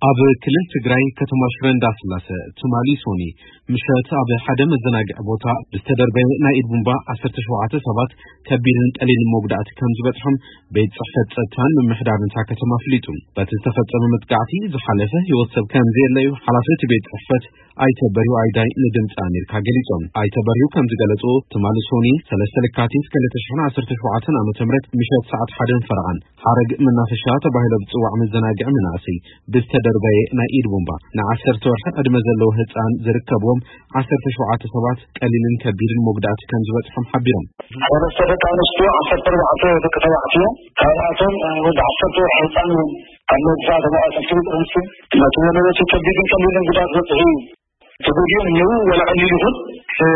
ኣብ ክልል ትግራይ ከተማ ሽረ እንዳስላሰ ትማሊ ሶኒ ምሸት ኣብ ሓደ መዘናግዒ ቦታ ብዝተደርበየ ናይ ኢድ ቡምባ ዓሰርተ ሸውዓተ ሰባት ከቢድን ቀሊልን መጉዳእቲ ከም ዝበፅሖም ቤት ፅሕፈት ፀጥታን ምምሕዳርን እታ ከተማ ኣፍሊጡ። በቲ ዝተፈጸመ መጥቃዕቲ ዝሓለፈ ህይወት ሰብ ከም ዘየለ እዩ ሓላፊ እቲ ቤት ፅሕፈት ኣይተ በሪሁ ኣይዳይ ንድምፂ ኣሜሪካ ገሊጾም። ኣይተ በሪሁ ከም ዝገለጹ ትማሊ ሶኒ ሰለስተ ለካቲት ክልተ ሽሕን ዓሰርተ ሸውዓተን ዓመተ ምህረት ምሸት ሰዓት ሓደን ፈረቓን ሓረግ መናፈሻ ተባሂሎ ብጽዋዕ መዘናግዒ መናእሰይ ብዝተደርበየ ናይ ኢድ ቦምባ ንዓሰርተ ወርሒ ዕድመ ዘለዎ ህጻን ዝርከብዎም ዓሰርተ ሸውዓተ ሰባት ቀሊልን ከቢድን መጉዳእቲ ከም ዝበጽሖም ሓቢሮም። ሰለስተ ደቂ ኣንስትዮ፣ ዓሰርተ ኣርባዕተ ደቂ ተባዕትዮ፣ ካብኣቶም ወዲ ዓሰርተ ወርሒ ህጻን እውን ኣብ መብዛሕትኦም ኣባላት ኣፍልጦ ጥርንሲ ነቲ ዘለዎቱ ከቢድን ቀሊልን ጉዳት በጽሑ እዩ። ተጎዲኦም እነው ወላ ቀሊል ይኹን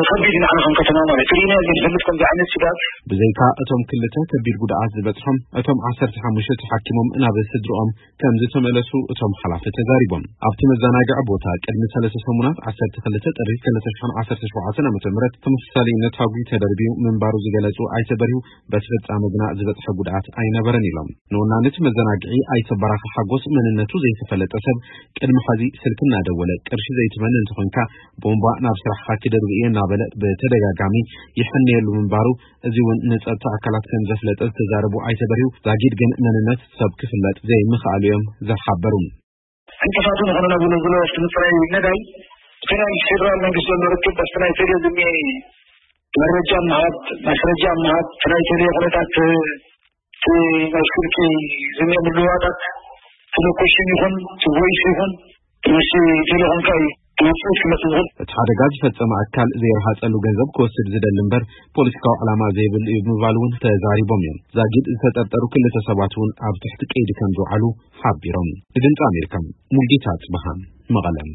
ከቢድ ንዓና ከም ከተማ ማለት ርኢና ዘይንፈልጥ ከምዚ ዓይነት ስጋት። ብዘይካ እቶም ክልተ ከቢድ ጉድኣት ዝበጽሖም፣ እቶም ዓሰርተ ሓሙሽተ ተሓኪሞም ናብ ስድርኦም ከም ዝተመለሱ እቶም ሓላፊ ተዛሪቦም። ኣብቲ መዘናግዒ ቦታ ቅድሚ ሰለስተ ሰሙናት ዓሰርተ ክልተ ጥሪ ክልተ ሽሕን ዓሰርተ ሸውዓተን ዓመተ ምህረት ተመሳሳሊ ነታጒ ተደርብዩ ምንባሩ ዝገለጹ ኣይተ በሪሁ በቲ ፍጻመ ግና ዝበጽሐ ጉድኣት ኣይነበረን ኢሎም። ንወናኒ እቲ መዘናግዒ ኣይተ በራኺ ሓጎስ መንነቱ ዘይተፈለጠ ሰብ ቅድሚ ሐዚ ስልኪ እናደወለ ቅርሺ ዘይትመኒ እንተኾንካ ቦምባ ናብ ስራሕኻ ክደርብ እየ እናበለ ብተደጋጋሚ ይሕነየሉ ምንባሩ እዚ እውን ንጸጥታ ኣካላት ከም ዘፍለጠ ዝተዛረቡ ኣይተ በሪሁ ዛጊድ ግን መንነት ሰብ ክፍለጥ ዘይምኽኣሉ እዮም ዝሓበሩ። ዕንቅፋት ዝኾነና ብሎ ብሎ ኣብቲ ምፅራይ ነዳይ ብተለይ ምስ ፌደራል መንግስቲ ዘሎ ርክብ ኣብቲ ናይ ቴሌ ዝኒ መረጃ ምሃብ፣ ማስረጃ ምሃብ፣ እቲ ናይ ቴሌ ኩነታት እቲ ናይ ስልኪ ዝኒ ምልዋጣት እቲ ሎኬሽን ይኹን እቲ ቮይስ ይኹን እቲ ምስ ቴሌኮምካ እዩ እቲ ውፅኢት ክመፅእ ዝኽእል። እቲ ሓደጋ ዝፈጸመ ኣካል ዘይረሃጸሉ ገንዘብ ክወስድ ዝደሊ እምበር ፖለቲካዊ ዕላማ ዘይብሉ እዩ ብምባል እውን ተዛሪቦም እዮም። ዛጊድ ዝተጠርጠሩ ክልተ ሰባት እውን ኣብ ትሕቲ ቀይዲ ከም ዝውዓሉ ሓቢሮም። ንድምፂ ኣሜሪካ ሙልጌታ ጽብሃ መቐለ።